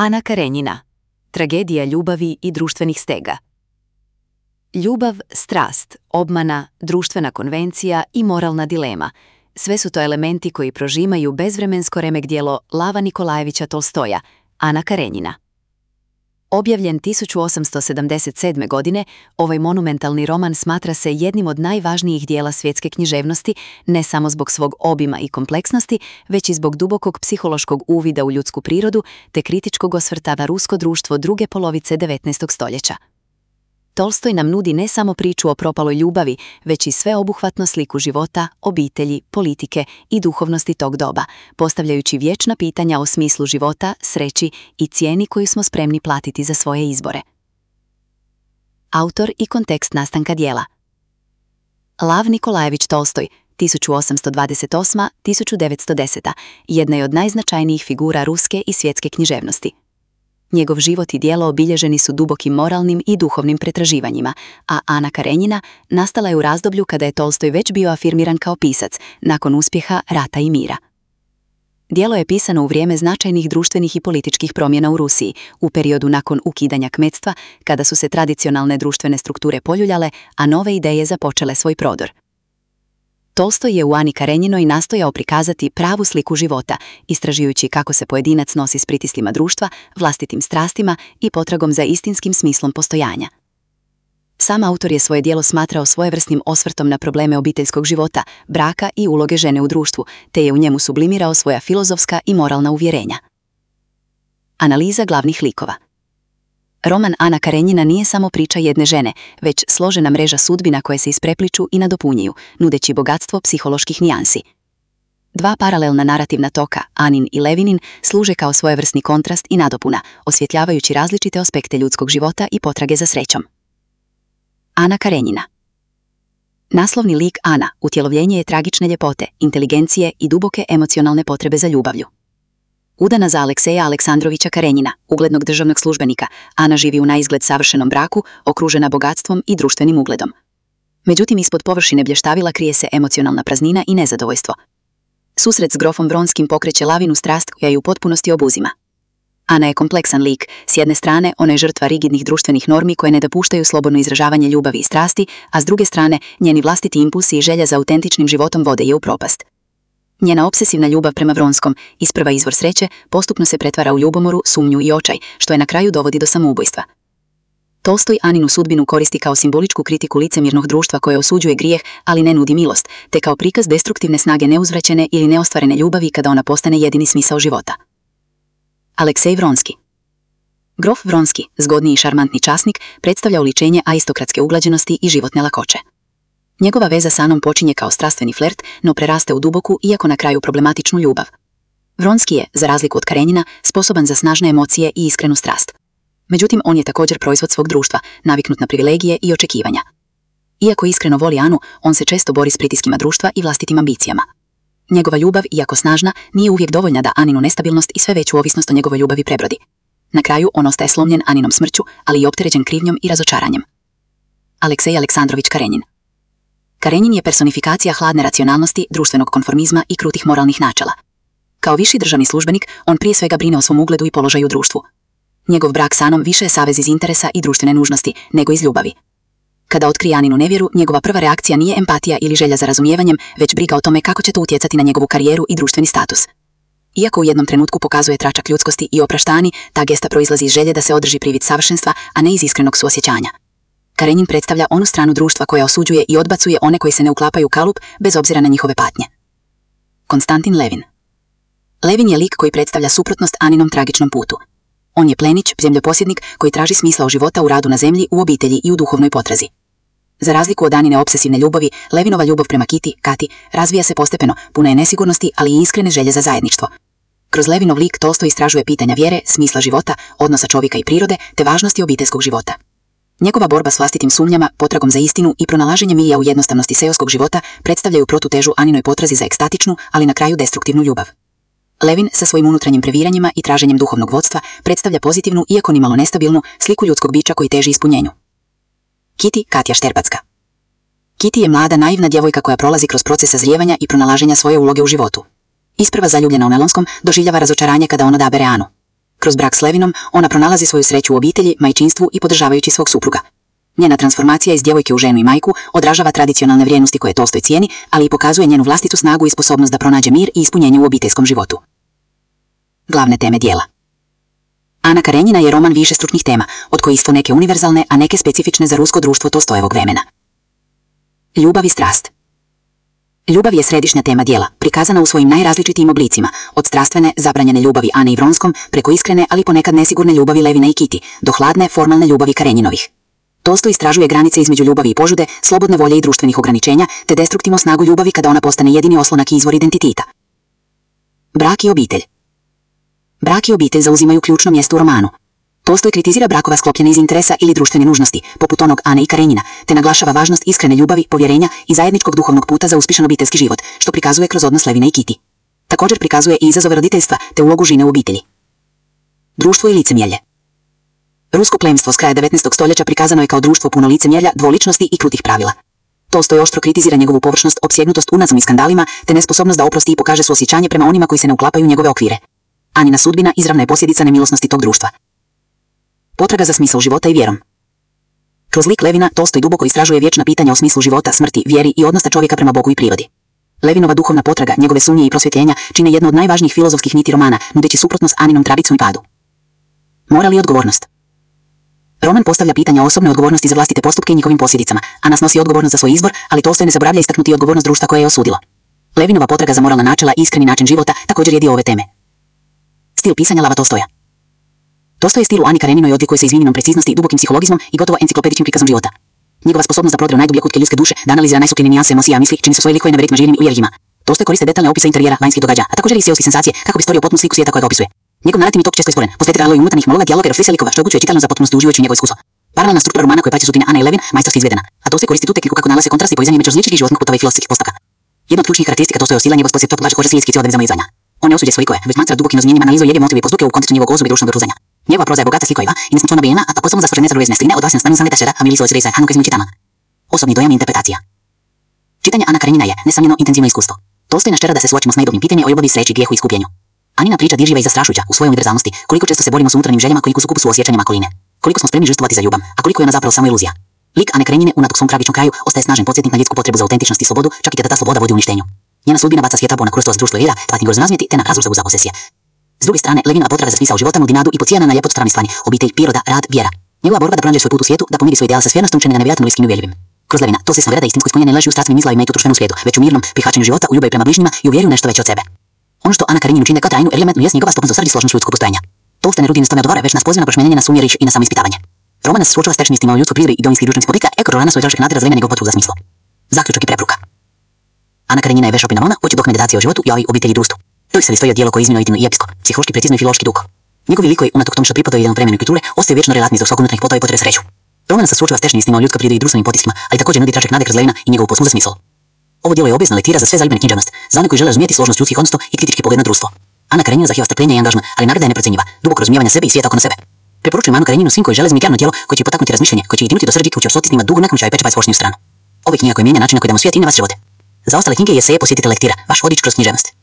Ana Karenjina. Tragedija ljubavi i društvenih stega. Ljubav, strast, obmana, društvena konvencija i moralna dilema. Sve su to elementi koji prožimaju bezvremensko remek djelo Lava Nikolajevića Tolstoja, Ana Karenjina. Objavljen 1877. godine, ovaj monumentalni roman smatra se jednim od najvažnijih dijela svjetske književnosti, ne samo zbog svog obima i kompleksnosti, već i zbog dubokog psihološkog uvida u ljudsku prirodu te kritičkog osvrta na rusko društvo druge polovice 19. stoljeća. Tolstoj nam nudi ne samo priču o propaloj ljubavi, već i sveobuhvatnu sliku života, obitelji, politike i duhovnosti tog doba, postavljajući vječna pitanja o smislu života, sreći i cijeni koju smo spremni platiti za svoje izbore. Autor i kontekst nastanka djela. Lav Nikolajević Tolstoj, 1828-1910, jedna je od najznačajnijih figura ruske i svjetske književnosti. Njegov život i djelo obilježeni su dubokim moralnim i duhovnim pretraživanjima, a Ana Karenjina nastala je u razdoblju kada je Tolstoj već bio afirmiran kao pisac, nakon uspjeha Rata i mira. Djelo je pisano u vrijeme značajnih društvenih i političkih promjena u Rusiji, u periodu nakon ukidanja kmetstva, kada su se tradicionalne društvene strukture poljuljale, a nove ideje započele svoj prodor. Tolstoj je u Ani Karenjinoj nastojao prikazati pravu sliku života, istražujući kako se pojedinac nosi s pritislima društva, vlastitim strastima i potragom za istinskim smislom postojanja. Sam autor je svoje djelo smatrao svojevrsnim osvrtom na probleme obiteljskog života, braka i uloge žene u društvu, te je u njemu sublimirao svoja filozofska i moralna uvjerenja. Analiza glavnih likova. Roman Ana Karenjina nije samo priča jedne žene, već složena mreža sudbina koje se isprepliču i nadopunjuju, nudeći bogatstvo psiholoških nijansi. Dva paralelna narativna toka, Anin i Levinin, služe kao svojevrsni kontrast i nadopuna, osvjetljavajući različite aspekte ljudskog života i potrage za srećom. Ana Karenjina. Naslovni lik Ana utjelovljenje je tragične ljepote, inteligencije i duboke emocionalne potrebe za ljubavlju. Udana za Alekseja Aleksandrovića Karenjina, uglednog državnog službenika, Ana živi u naizgled savršenom braku, okružena bogatstvom i društvenim ugledom. Međutim, ispod površine blještavila krije se emocionalna praznina i nezadovoljstvo. Susret s grofom Vronskim pokreće lavinu strast koja ju u potpunosti obuzima. Ana je kompleksan lik, s jedne strane ona je žrtva rigidnih društvenih normi koje ne dopuštaju slobodno izražavanje ljubavi i strasti, a s druge strane njeni vlastiti impulsi i želja za autentičnim životom vode je u propast. Njena obsesivna ljubav prema Vronskom, isprva izvor sreće, postupno se pretvara u ljubomoru, sumnju i očaj, što je na kraju dovodi do samoubojstva. Tolstoj Aninu sudbinu koristi kao simboličku kritiku licemjernog društva koje osuđuje grijeh, ali ne nudi milost, te kao prikaz destruktivne snage neuzvraćene ili neostvarene ljubavi kada ona postane jedini smisao života. Aleksej Vronski. Grof Vronski, zgodni i šarmantni časnik, predstavlja oličenje aristokratske uglađenosti i životne lakoće. Njegova veza s Anom počinje kao strastveni flert, no preraste u duboku, iako na kraju problematičnu ljubav. Vronski je, za razliku od Karenjina, sposoban za snažne emocije i iskrenu strast. Međutim, on je također proizvod svog društva, naviknut na privilegije i očekivanja. Iako iskreno voli Anu, on se često bori s pritiskima društva i vlastitim ambicijama. Njegova ljubav, iako snažna, nije uvijek dovoljna da Aninu nestabilnost i sve veću ovisnost o njegovoj ljubavi prebrodi. Na kraju, on ostaje slomljen Aninom smrću, ali i opterećen krivnjom i razočaranjem. Aleksej Aleksandrović Karenjin. Karenjin je personifikacija hladne racionalnosti, društvenog konformizma i krutih moralnih načela. Kao viši državni službenik, on prije svega brine o svom ugledu i položaju u društvu. Njegov brak s Anom više je savez iz interesa i društvene nužnosti, nego iz ljubavi. Kada otkrije Aninu nevjeru, njegova prva reakcija nije empatija ili želja za razumijevanjem, već briga o tome kako će to utjecati na njegovu karijeru i društveni status. Iako u jednom trenutku pokazuje tračak ljudskosti i oprašta Ani, ta gesta proizlazi iz želje da se održi privid savršenstva, a ne iz iskrenog suosjećanja. Karenjin predstavlja onu stranu društva koja osuđuje i odbacuje one koji se ne uklapaju u kalup bez obzira na njihove patnje. Konstantin Levin. Levin je lik koji predstavlja suprotnost Aninom tragičnom putu. On je plenić, zemljoposjednik koji traži smisla života u radu na zemlji, u obitelji i u duhovnoj potrazi. Za razliku od Anine obsesivne ljubavi, Levinova ljubav prema Kati, razvija se postepeno, puna je nesigurnosti, ali i iskrene želje za zajedništvo. Kroz Levinov lik Tolstoj istražuje pitanja vjere, smisla života, odnosa čovjeka i prirode, te važnosti obiteljskog života. Njegova borba s vlastitim sumnjama, potragom za istinu i pronalaženje milija u jednostavnosti seoskog života predstavljaju protutežu Aninoj potrazi za ekstatičnu, ali na kraju destruktivnu ljubav. Levin sa svojim unutrašnjim previranjima i traženjem duhovnog vodstva predstavlja pozitivnu, iako nimalo nestabilnu, sliku ljudskog bića koji teži ispunjenju. Katja Šterbacka. Kitty je mlada, naivna djevojka koja prolazi kroz proces sazrijevanja i pronalaženja svoje uloge u životu. Isprva zaljubljena u Melonskom, doživljava razočaranje kada on odabere Anu. Kroz brak s Levinom, ona pronalazi svoju sreću u obitelji, majčinstvu i podržavajući svog supruga. Njena transformacija iz djevojke u ženu i majku odražava tradicionalne vrijednosti koje Tolstoj cijeni, ali i pokazuje njenu vlastitu snagu i sposobnost da pronađe mir i ispunjenje u obiteljskom životu. Glavne teme dijela. Ana Karenjina je roman višestručnih tema, od kojih su neke univerzalne, a neke specifične za rusko društvo Tolstojevog vremena. Ljubav i strast. Ljubav je središnja tema dijela, prikazana u svojim najrazličitijim oblicima, od strastvene, zabranjene ljubavi Ane i Vronskom, preko iskrene, ali ponekad nesigurne ljubavi Levina i Kitty, do hladne, formalne ljubavi Karenjinovih. Tolstoj istražuje granice između ljubavi i požude, slobodne volje i društvenih ograničenja, te destruktivnu snagu ljubavi kada ona postane jedini oslonak i izvor identiteta. Brak i obitelj. Brak i obitelj zauzimaju ključno mjesto u romanu. Tolstoj kritizira brakova sklopljene iz interesa ili društvene nužnosti, poput onog Ane i Karenjina, te naglašava važnost iskrene ljubavi, povjerenja i zajedničkog duhovnog puta za uspješan obiteljski život, što prikazuje kroz odnos Levina i Kitty. Također prikazuje i izazove roditeljstva te ulogu žene u obitelji. Društvo i licemjerje. Rusko plemstvo s kraja 19. stoljeća prikazano je kao društvo puno licemjerja, dvoličnosti i krutih pravila. Tolstoj oštro kritizira njegovu površnost, opsjednutost unazom i skandalima, te nesposobnost da oprosti i pokaže suosjećanje prema onima koji se ne uklapaju u njegove okvire. Anina sudbina izravna je posljedica nemilosnosti tog društva. Potraga za smisao života i vjerom. Kroz lik Levina, Tolstoj duboko istražuje vječna pitanja o smislu života, smrti, vjeri i odnosa čovjeka prema Bogu i prirodi. Levinova duhovna potraga, njegove sumnje i prosvjetljenja čine jedno od najvažnijih filozofskih niti romana, nudeći suprotnost Aninom tradicu i padu. Moral i odgovornost. Roman postavlja pitanja o osobnoj odgovornosti za vlastite postupke i njihovim posljedicama, a nas nosi odgovornost za svoj izbor, ali Tolstoj ne zaboravlja istaknuti odgovornost društva koje je osudilo. Levinova potraga za moralna načela i iskreni način života također je dio ove teme. Stil pisanja Lava Tolstoja. Tolstoj je stil u Ani Kareninoj odlikuje se izvinjenom preciznosti, dubokim psihologizmom i gotovo enciklopedičnim prikazom života. Njegova sposobnost da prodre u najdublje kutke ljudske duše, da analizira najsupljene nijanse emocija misli, čini se svoje likove neverovatno živim i uvjerljivima. Tolstoj koriste detaljne opise interijera, vanjskih događaja, a također i seoskih senzacije kako bi stvorio potpunu sliku svijeta koja ga opisuje. Njegov narativni tok često je stvoren, posvetio i unutarnjih monologa, dijaloga i refleksija likova, što omogućuje čitaljno za potpunost uživajući u njegovo iskustvo. Paralelna struktura romana koja prati sudbine Ane i Levin majstorski izvedena, a Tolstoj koristi tu tehniku kako nalaze kontrasti i povezanje među različitih životnih putova i filozofskih postupaka. Jedna od ključnih karakteristika Tolstojeva stila je njegov sposjed toplaže kože stilskih cijelog izvanja. On ne osuđuje svoje likove, već smatra dubokim razmijenjem analizom jedne motive i postupke u kontekstu njegovog osobe i društvenog okruženja. Njegova proza je bogata slikovima i nesmisleno nabijena, a posebno za stvořené zaruje sline od vlastne stanu samleta šera, a milí svoj srdce Hanu čitama. Osobni dojam i interpretacija. Čitanje Ana Karenjina je nesamljeno intenzivno iskustvo. Tolstoj nas tjera da se suočimo s najdobnim pitanjem o ljubavi, sreći, grijehu i iskupljenju. Anina priča dirljiva i zastrašujuća u svojoj univerzalnosti, koliko često se borimo s unutarnjim željama, koliko su kupu suosjećanjima okoline. Koliko smo spremni žrtvovati za ljubav, a koliko je ona zapravo samo iluzija. Lik Ane Karenjine unatoč svom tragičnom kraju ostaje snažan podsjetnik na ljudsku potrebu za autentičnost i slobodu, čak i kada ta sloboda vodi uništenju. Njena sudbina baca svjetlo na krustost društva vjera, platni grozno razmjeti te na razrušavu za posesije. S druge strane, Levinova potraga za smisao života nudi nadu i podsjeća na ljepotu stranistvari, obitelj, priroda, rad, vjera. Njegova borba da pronađe svoj put u svijetu, da pomiri svoj ideal sa svjernostom čini ga nevjerojatno bliskim i uvjerljivim. Kroz Levina, to se vjera da istinsko ispunjenje leži u strastvenim izlavima i tu društvenom svijetu, već u mirnom prihvaćanju života, u ljubavi prema bližnjima i u vjeru nešto veće od sebe. Ono što Ana Karenjinu čini kao trajnu elementnu jest njegova sposobnost srdi složnost ljudskog postojanja. Tolstoj ne rudi nas tome odgovara, već nas poziva na prošmenjenje na sumnje i na samoispitavanje. Roman nas suočava s tečnim istinama o ljudskoj prirodi i domovinskih društvenih politika, eko rana svoj tražak nade razvija njegov potrebu za smislo. Zaključak i preporuka. Ana Karenjina je vešopina romana, hoće dok meditacija o životu i obitelji i društvu. To je se stoji djelo koje izmjeno i epsko, psihološki precizno i filološki duh. Njegovi likovi unatok tom što pripadaju jednom vremenu kulture ostaju vječno relatni zbog svog unutarnjih potova i potrebe sreću. Roman se suočava s tečnim istinama o ljudskoj prirodi i društvenim potiskima, ali također nudi tračak nade kroz Levina i njegovu posmu za smisao. Ovo djelo je obavezna lektira za sve zaljubljene književnost, za one koji žele razumjeti složnost ljudskih odnosa i kritički pogled na društvo. Ana Karenjina zahtijeva strpljenje i angažman, ali nagrada je neprocjenjiva, duboko razumijevanja sebe i svijeta oko sebe. Preporučujem Anu Karenjinu svim koji žele zmijano djelo koje će potaknuti razmišljanje, koje će ih dinuti do srži, koji će osotiti snima dugo nakon čaja pečeva svošnju stranu. Ove knjiga koje mijenja način na koji damo svijet i na vas živote. Za ostale knjige i eseje posjetite lektira, vaš vodič kroz književnost.